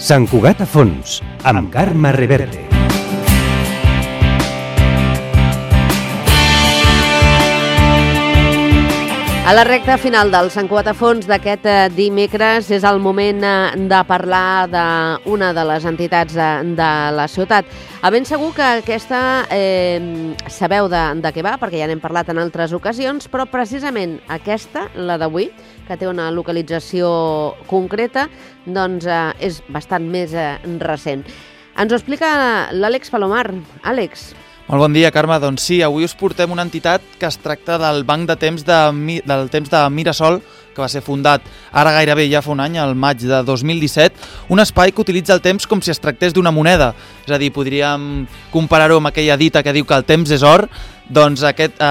Sant Cugat a fons, amb Carme Reverte. A la recta final del Sant Cugat a fons d'aquest dimecres és el moment de parlar d'una de les entitats de la ciutat. A ben segur que aquesta sabeu de què va, perquè ja n'hem parlat en altres ocasions, però precisament aquesta, la d'avui, que té una localització concreta, doncs és bastant més recent. Ens ho explica l'Àlex Palomar. Àlex. Molt bon dia, Carme. Doncs sí, avui us portem una entitat que es tracta del Banc de Temps del Temps de Mirasol, que va ser fundat ara gairebé ja fa un any, al maig de 2017, un espai que utilitza el temps com si es tractés d'una moneda. És a dir, podríem comparar-ho amb aquella dita que diu que el temps és or, doncs aquest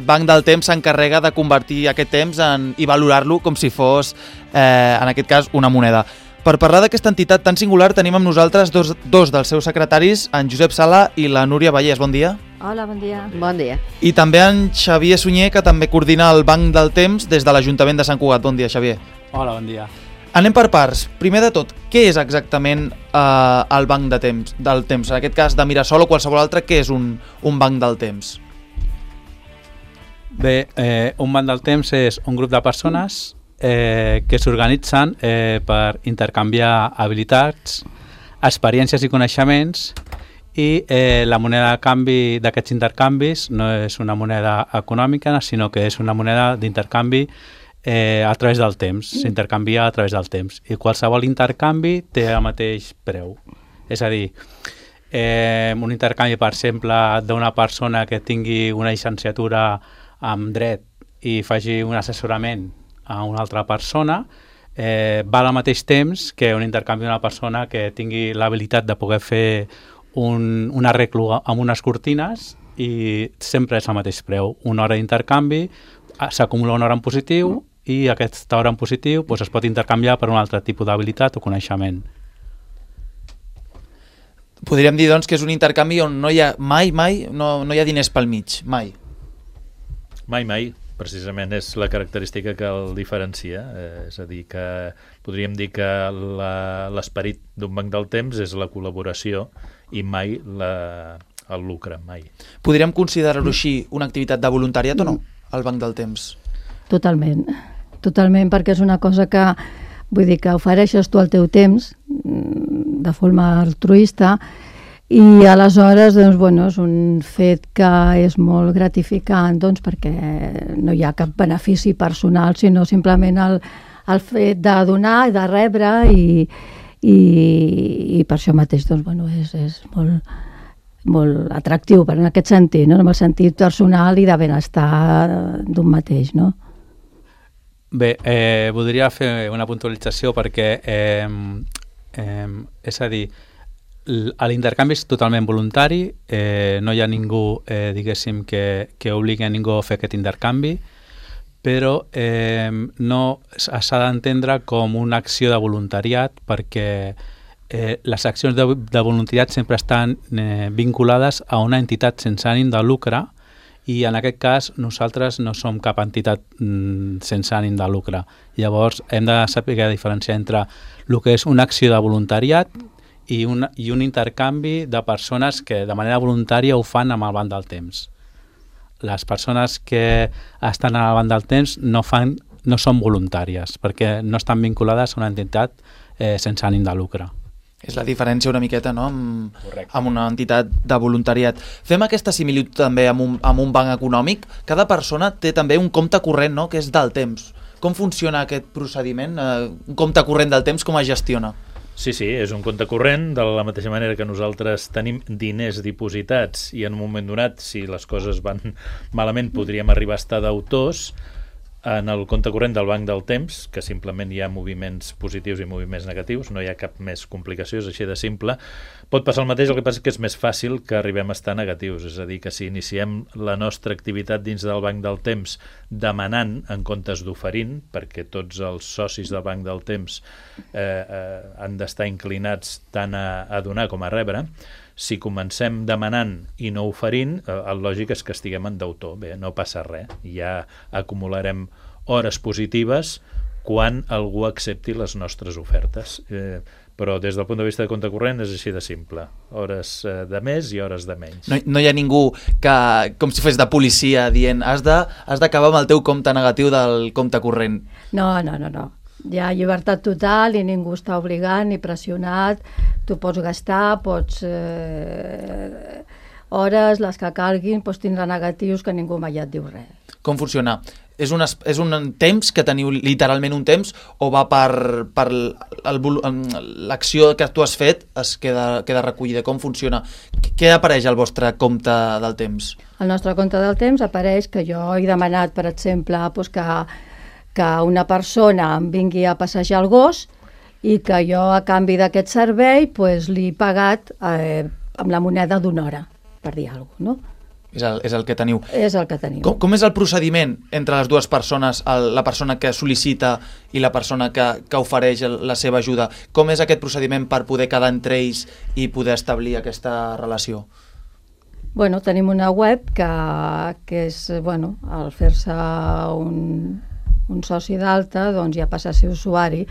Banc del Temps s'encarrega de convertir aquest temps i valorar-lo com si fos, en aquest cas, una moneda. Per parlar d'aquesta entitat tan singular tenim amb nosaltres dos dels seus secretaris, en Josep Sala i la Núria Vallès. Bon dia. Hola, bon dia. Bon dia. I també en Xavier Sunyer, que també coordina el Banc del Temps des de l'Ajuntament de Sant Cugat. Bon dia, Xavier. Hola, bon dia. Anem per parts. Primer de tot, què és exactament el Banc del Temps? En aquest cas de Mirasol o qualsevol altre, què és un Banc del Temps? Bé, un Banc del Temps és un grup de persones que s'organitzen per intercanviar habilitats, experiències i coneixements, i la moneda de canvi d'aquests intercanvis no és una moneda econòmica, sinó que és una moneda d'intercanvi a través del temps, s'intercanvia a través del temps, i qualsevol intercanvi té el mateix preu. És a dir, un intercanvi, per exemple, d'una persona que tingui una llicenciatura en dret i faci un assessorament a una altra persona, val al mateix temps que un intercanvi d'una persona que tingui l'habilitat de poder fer un arreglo amb unes cortines, i sempre és el mateix preu. Una hora d'intercanvi, s'acumula una hora en positiu, i aquesta hora en positiu es pot intercanviar per un altre tipus d'habilitat o coneixement. Podríem dir, doncs, que és un intercanvi on no hi ha mai no hi ha diners pel mig, mai. Mai. Precisament és la característica que el diferencia, és a dir, que podríem dir que l'esperit d'un banc del temps és la col·laboració i mai el lucre, mai. Podríem considerar-ho així una activitat de voluntariat o no, el banc del temps? Totalment, perquè és una cosa que, vull dir, que ofereixes tu el teu temps de forma altruista, i aleshores, doncs, bueno, és un fet que és molt gratificant, doncs, perquè no hi ha cap benefici personal, sinó simplement el fet de donar i de rebre, i per això mateix, doncs, bueno, és molt, molt atractiu en aquest sentit, no? En el sentit personal i de benestar d'un mateix, no? Bé, voldria fer una puntualització perquè, és a dir, l'intercanvi és totalment voluntari, no hi ha ningú, diguéssim, que obligui a ningú a fer aquest intercanvi, però no s'ha d'entendre com una acció de voluntariat, perquè les accions de voluntariat sempre estan vinculades a una entitat sense ànim de lucre, i en aquest cas nosaltres no som cap entitat sense ànim de lucre. Llavors hem de saber diferenciar entre el que és una acció de voluntariat i un intercanvi de persones que de manera voluntària ho fan amb el Banc del Temps. Les persones que estan al Banc del Temps no són voluntàries, perquè no estan vinculades a una entitat sense ànim de lucre. És la diferència una miqueta, no?, amb una entitat de voluntariat. Fem aquesta similitud també amb un banc econòmic. Cada persona té també un compte corrent, no?, que és del temps. Com funciona aquest procediment? Un compte corrent del temps, com es gestiona? Sí, és un compte corrent, de la mateixa manera que nosaltres tenim diners dipositats i en un moment donat, si les coses van malament, podríem arribar a estar deutors. En el compte corrent del Banc del Temps, que simplement hi ha moviments positius i moviments negatius, no hi ha cap més complicació, és així de simple. Pot passar el mateix, el que passa és que és més fàcil que arribem a estar negatius, és a dir, que si iniciem la nostra activitat dins del Banc del Temps demanant en comptes d'oferint, perquè tots els socis del Banc del Temps han d'estar inclinats tant a donar com a rebre, si comencem demanant i no oferint, el lògic és que estiguem en deutor. Bé, no passa res, ja acumularem hores positives quan algú accepti les nostres ofertes. però des del punt de vista de compte corrent és així de simple. Hores de més i hores de menys. No hi ha ningú que, com si fes de policia, dient has d'acabar amb el teu compte negatiu del compte corrent. No. Hi ha llibertat total i ningú està obligat ni pressionat. Tu pots gastar, pots hores, les que calguin, pots tindre negatius que ningú mai et diu res. Com funciona? És un temps que teniu literalment un temps o va per l'acció que tu has fet es queda recollida? Com funciona? Què apareix al vostre compte del temps? Al nostre compte del temps apareix que jo he demanat, per exemple, doncs que una persona em vingui a passejar el gos i que jo a canvi d'aquest servei doncs, li he pagat amb la moneda d'una hora, per dir alguna cosa, no? És el que teniu. És el que tenim. Com és el procediment entre les dues persones, la persona que sol·licita i la persona que ofereix la seva ajuda? Com és aquest procediment per poder quedar entre ells i poder establir aquesta relació? Bueno, tenim una web que és, bueno, al fer-se un soci d'alta, doncs ja passa a ser usuari.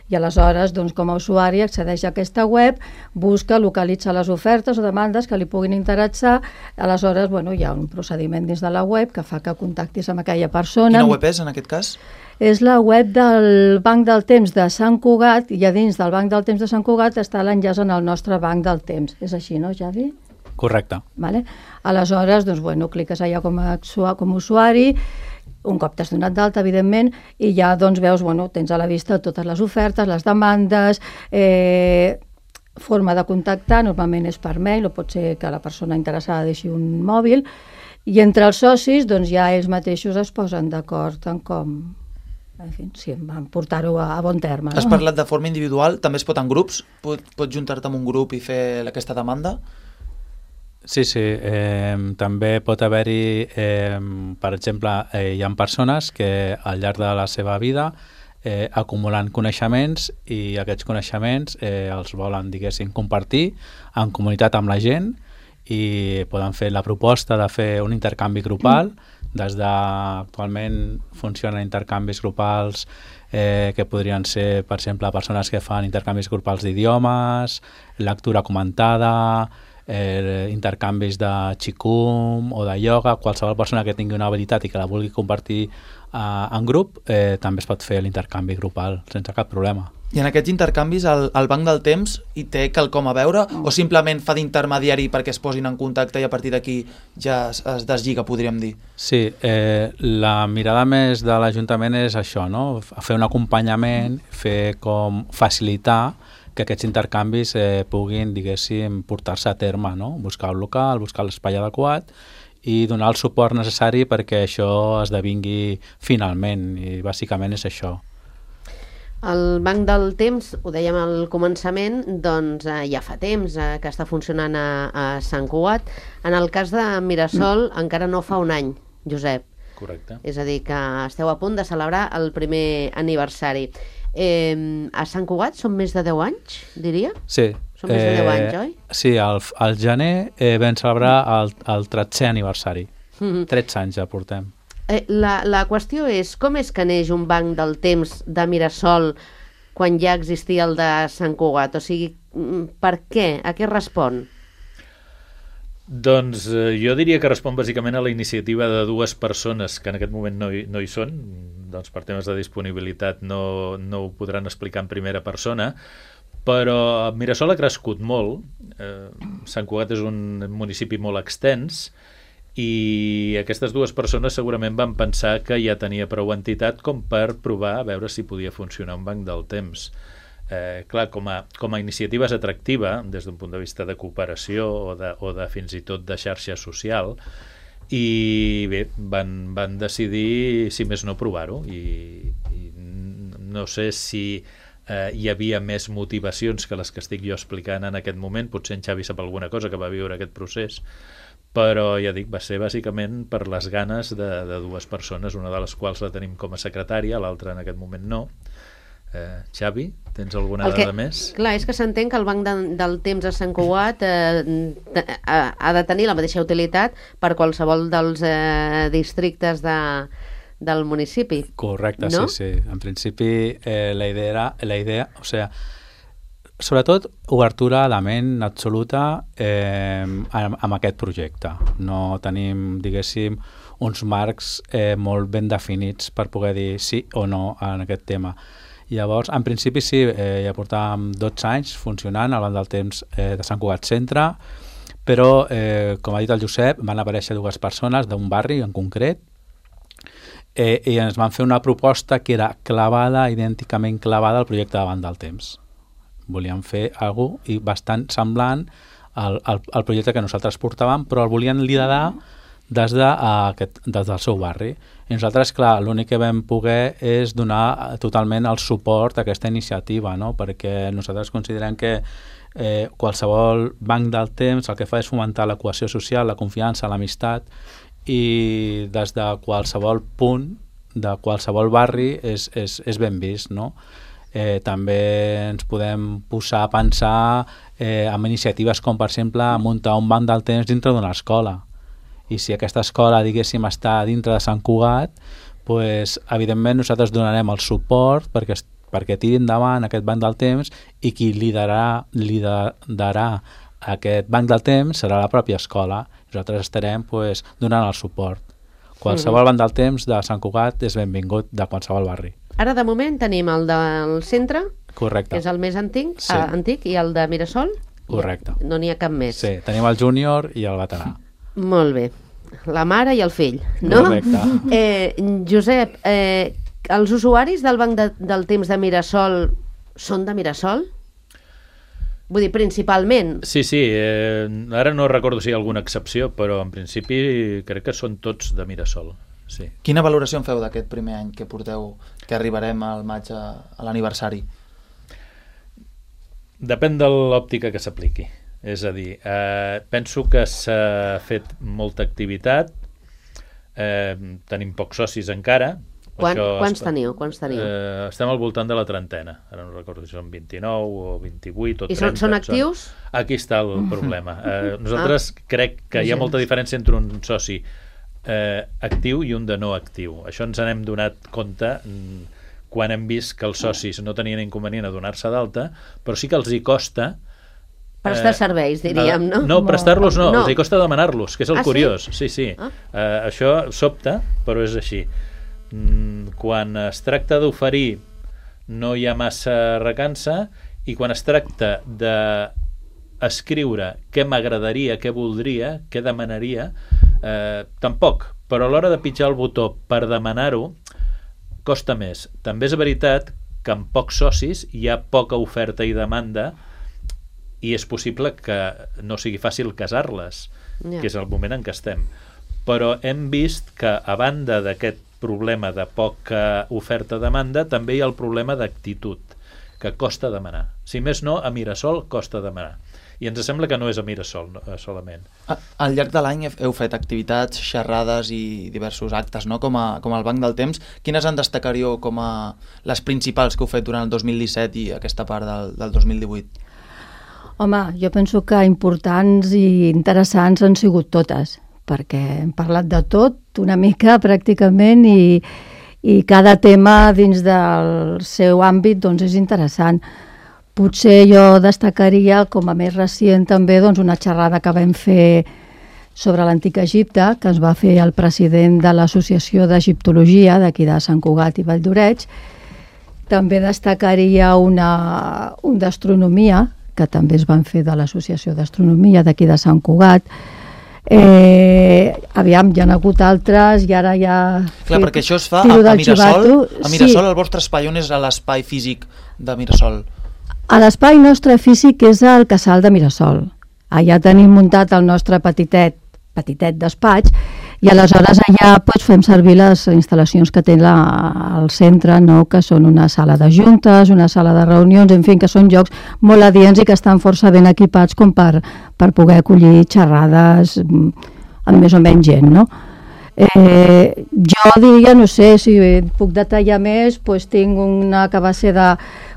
I aleshores, doncs, com a usuari, accedeix a aquesta web, busca, localitza les ofertes o demandes que li puguin interessar. Aleshores, bueno, hi ha un procediment dins de la web que fa que contactis amb aquella persona. Quina web és, en aquest cas? És la web del Banc del Temps de Sant Cugat, i a dins del Banc del Temps de Sant Cugat està l'enllaç en el nostre Banc del Temps. És així, no, Javi? Correcte. Vale? Aleshores, doncs, bueno, cliques allà com a usuari, un cop t'has donat d'alta, evidentment, i ja doncs, veus, bueno, tens a la vista totes les ofertes, les demandes, forma de contactar, normalment és per mail, o pot ser que la persona interessada deixi un mòbil, i entre els socis doncs, ja ells mateixos es posen d'acord en com, en fi, sí, van portar-ho a bon terme. No? Has parlat de forma individual, també es pot en grups? Pots juntar-te amb un grup i fer aquesta demanda? Sí, també pot haver-hi, per exemple, hi ha persones que al llarg de la seva vida acumulen coneixements i aquests coneixements els volen, diguéssim, compartir en comunitat amb la gent i poden fer la proposta de fer un intercanvi grupal. Actualment funcionen intercanvis grupals que podrien ser, per exemple, persones que fan intercanvis grupals d'idiomes, lectura comentada, intercanvis de xicum o de ioga. Qualsevol persona que tingui una habilitat i que la vulgui compartir en grup també es pot fer l'intercanvi grupal sense cap problema. I en aquests intercanvis el Banc del Temps hi té quelcom a veure o simplement fa d'intermediari perquè es posin en contacte i a partir d'aquí ja es deslliga, podríem dir? Sí, la mirada més de l'Ajuntament és això, no? Fer un acompanyament, fer com facilitar que aquests intercanvis puguin, diguéssim, portar-se a terme, no? Buscar un local, buscar l'espai adequat i donar el suport necessari perquè això esdevingui finalment, i bàsicament és això. El Banc del Temps, ho dèiem al començament, doncs ja fa temps que està funcionant a Sant Cugat. En el cas de Mirasol encara no fa un any, Josep. Correcte. És a dir, que esteu a punt de celebrar el primer aniversari. A Sant Cugat són més de 10 anys, diria? Sí. Són més de 10 anys, oi? Sí, al gener vam celebrar el 13è aniversari. 13 anys ja portem. La qüestió és, com és que neix un Banc del Temps de Mirasol quan ja existia el de Sant Cugat? O sigui, per què? A què respon? Doncs jo diria que respon bàsicament a la iniciativa de dues persones que en aquest moment no hi són, doncs per temes de disponibilitat no ho podran explicar en primera persona, però Mirasol ha crescut molt. Sant Cugat és un municipi molt extens i aquestes dues persones segurament van pensar que ja tenia prou entitat com per provar a veure si podia funcionar un banc del temps. Clar, com a iniciativa és atractiva des d'un punt de vista de cooperació o de fins i tot de xarxa social, i bé, van decidir, si més no, provar-ho, i no sé si hi havia més motivacions que les que estic jo explicant en aquest moment. Potser en Xavi sap alguna cosa que va viure aquest procés, però ja dic, va ser bàsicament per les ganes de dues persones, una de les quals la tenim com a secretària, l'altra en aquest moment no. Xavi, tens alguna dada més? Clar, és que s'entén que el Banc del Temps a Sant Cugat ha de tenir la mateixa utilitat per qualsevol dels districtes del municipi. Correcte, no? Sí. En principi la idea, o sigui, sobretot obertura de ment absoluta amb aquest projecte. No tenim, diguéssim, uns marcs molt ben definits per poder dir sí o no en aquest tema. Llavors, en principi sí, ja portàvem 12 anys funcionant al Banc del Temps de Sant Cugat Centre, però, com ha dit el Josep, van aparèixer dues persones d'un barri en concret i ens van fer una proposta que era clavada, idènticament clavada al projecte de Banc del Temps. Volien fer alguna cosa bastant semblant al projecte que nosaltres portàvem, però el volien liderar des del seu barri. I nosaltres, clar, l'únic que vam poder és donar totalment el suport a aquesta iniciativa, no? Perquè nosaltres considerem que qualsevol banc del temps el que fa és fomentar la cohesió social, la confiança, l'amistat, i des de qualsevol punt, de qualsevol barri, és ben vist, no? També ens podem posar a pensar en iniciatives com, per exemple, muntar un banc del temps dintre d'una escola. I si aquesta escola, diguéssim, està dintre de Sant Cugat, doncs, evidentment, nosaltres donarem el suport perquè tiri endavant aquest banc del temps, i qui liderarà aquest banc del temps serà la pròpia escola. Nosaltres estarem donant el suport. Qualsevol banc del temps de Sant Cugat és benvingut, de qualsevol barri. Ara, de moment, tenim el del centre, correcte, que és el més antic, sí, i el de Mirasol. Correcte. No n'hi ha cap més. Sí, tenim el júnior i el veterà. Molt bé. La mare i el fill, no? Correcte. Josep, els usuaris del Banc del Temps de Mirasol són de Mirasol? Vull dir, principalment. Sí, ara no recordo si hi ha alguna excepció, però en principi crec que són tots de Mirasol. Sí. Quina valoració en feu d'aquest primer any que porteu, que arribarem al maig a l'aniversari? Depèn de l'òptica que s'apliqui. És a dir, penso que s'ha fet molta activitat, tenim pocs socis encara. Quants teniu? Estem al voltant de la trentena. Ara no recordo si són 29 o 28 o 30. I són actius? Aquí està el problema. Nosaltres crec que hi ha molta diferència entre un soci actiu i un de no actiu. Això ens n'hem donat compte quan hem vist que els socis no tenien inconvenient a donar-se d'alta, però sí que els hi costa prestar serveis, diríem, no? No, prestar-los no, els hi costa demanar-los, que és el curiós. Sí. Això sobta, però és així. Quan es tracta d'oferir no hi ha massa recança, i quan es tracta d'escriure què m'agradaria, què voldria, què demanaria, tampoc, però a l'hora de pitjar el botó per demanar-ho costa més. També és veritat que amb pocs socis hi ha poca oferta i demanda, i és possible que no sigui fàcil casar-les, que és el moment en què estem. Però hem vist que, a banda d'aquest problema de poca oferta-demanda, també hi ha el problema d'actitud, que costa demanar. Si més no, a Mirasol costa demanar. I ens sembla que no és a Mirasol solament. Al llarg de l'any heu fet activitats, xerrades i diversos actes, no? Com el Banc del Temps. Quines en destacaríeu com a les principals que heu fet durant el 2017 i aquesta part del 2018? Home, jo penso que importants i interessants han sigut totes, perquè hem parlat de tot, una mica pràcticament, i cada tema dins del seu àmbit doncs, és interessant. Potser jo destacaria, com a més recient també, doncs, una xerrada que vam fer sobre l'antic Egipte, que ens va fer el president de l'Associació d'Egiptologia d'aquí de Sant Cugat i Valldoreix. També destacaria un d'astronomia, que també es van fer de l'Associació d'Astronomia d'aquí de Sant Cugat. Aviam, hi ha hagut altres i ara ja... Clar, perquè això es fa a Mirasol. A Mirasol, el vostre espai, on és l'espai físic de Mirasol? A l'espai nostre físic és el Casal de Mirasol. Allà tenim muntat el nostre petitet despatx, i aleshores allà fem servir les instal·lacions que té el centre, no? Que són una sala de juntes, una sala de reunions, en fi, que són llocs molt adients i que estan força ben equipats com per poder acollir xerrades amb més o menys gent, no? Jo diria, no sé si puc detallar més, tinc una que va ser de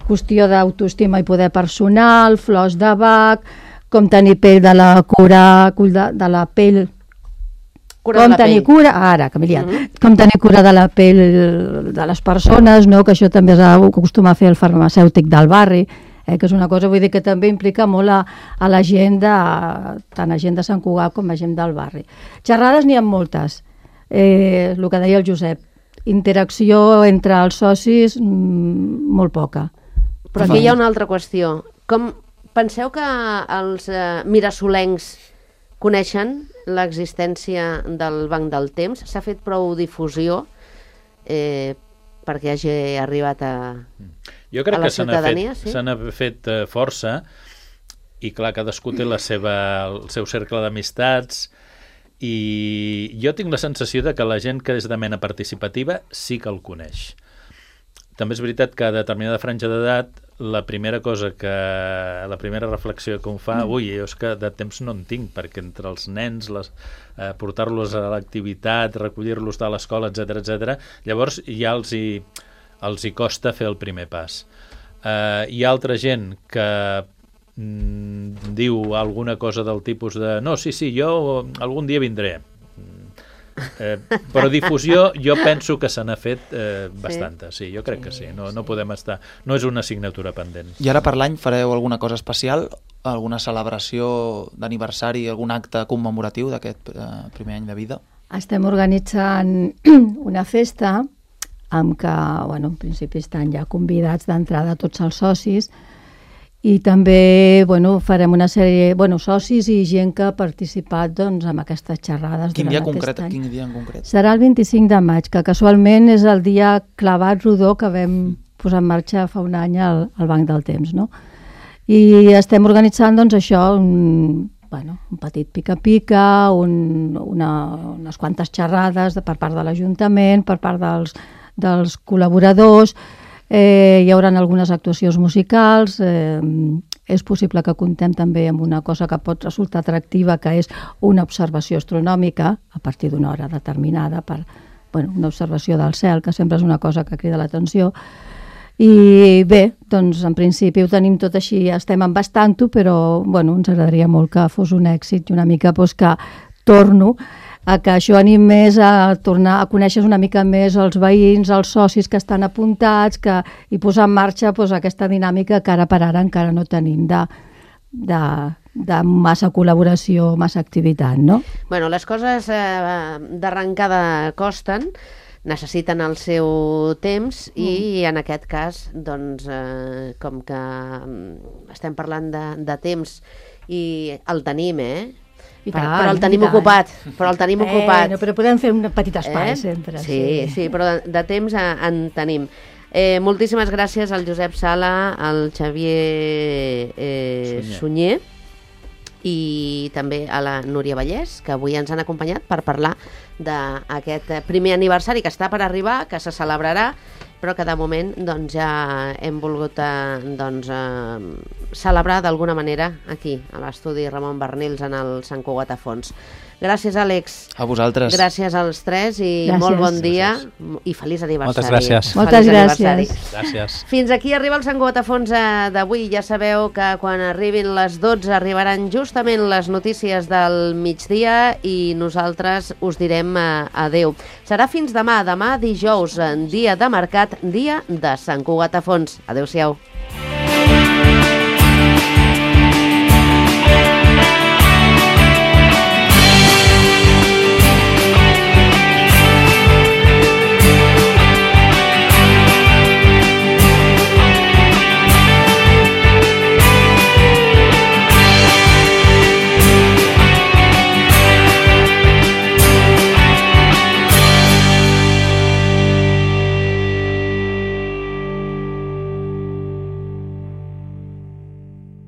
qüestió d'autoestima i poder personal, flors de Bach, com tenir pell de la cura de la pell, com tenir cura de la pell de les persones, no? Que això també s'acostuma a fer el farmacèutic del barri, que és una cosa, vull dir, que també implica molt a la gent tant a gent de Sant Cugat com a gent del barri. Xerrades n'hi ha moltes, el que deia el Josep, interacció entre els socis molt poca. Però aquí hi ha una altra qüestió. Com penseu que els mirasolencs coneixen l'existència del Banc del Temps? S'ha fet prou difusió perquè hagi arribat a Jo crec la que ciutadania? se n'ha fet força, i clar, cadascú té el seu cercle d'amistats, i jo tinc la sensació de que la gent que és de mena participativa sí que el coneix. També és veritat que a determinada franja d'edat la primera reflexió que em fa, jo és que de temps no en tinc, perquè entre els nens, portar-los a l'activitat, recollir-los de l'escola, etc, llavors ja els hi costa fer el primer pas. Hi ha altra gent que diu alguna cosa del tipus de no, sí, jo algun dia vindré. Però difusió jo penso que se n'ha fet bastanta, sí, jo crec que sí, no podem estar, no és una assignatura pendent. I ara per l'any fareu alguna cosa especial? Alguna celebració d'aniversari, algun acte commemoratiu d'aquest primer any de vida? Estem organitzant una festa amb què, en principi estan ja convidats d'entrada tots els socis, i també farem una sèrie, socis i gent que ha participat amb aquestes xerrades. Quin dia en concret? Serà el 25 de maig, que casualment és el dia clavat rodó que vam posar en marxa fa un any al Banc del Temps, no? I estem organitzant això, un petit pica-pica, unes quantes xerrades per part de l'Ajuntament, per part dels col·laboradors. Hi haurà algunes actuacions musicals, és possible que contem també amb una cosa que pot resultar atractiva, que és una observació astronòmica a partir d'una hora determinada, una observació del cel, que sempre és una cosa que crida l'atenció. I bé, en principi ho tenim tot així, estem embastant-ho, però ens agradaria molt que fos un èxit i una mica que torno a que això anim més a tornar a conèixer una mica més els veïns, els socis que estan apuntats, i posar en marxa aquesta dinàmica que ara per ara encara no tenim de massa col·laboració, massa activitat, no? Les coses d'arrencada costen, necessiten el seu temps i en aquest cas, com que estem parlant de temps i el tenim, però el tenim ocupat. Però podem fer un petit espai sempre. Sí, però de temps en tenim. Moltíssimes gràcies al Josep Sala, al Xavier Sunyer i també a la Núria Vallès, que avui ens han acompanyat per parlar d'aquest primer aniversari que està per arribar, que se celebrarà, però que de moment ja hem volgut celebrar d'alguna manera aquí, a l'estudi Ramon Barnils, en el Sant Cugat a Fons. Gràcies, Àlex. A vosaltres. Gràcies als tres i molt bon dia i feliç aniversari. Moltes gràcies. Moltes gràcies. Fins aquí arriba el Sant Cugat a Fons d'avui. Ja sabeu que quan arribin les 12 arribaran justament les notícies del migdia i nosaltres us direm adeu. Serà fins demà dijous, dia de mercat, dia de Sant Cugat a Fons. Adéu-siau.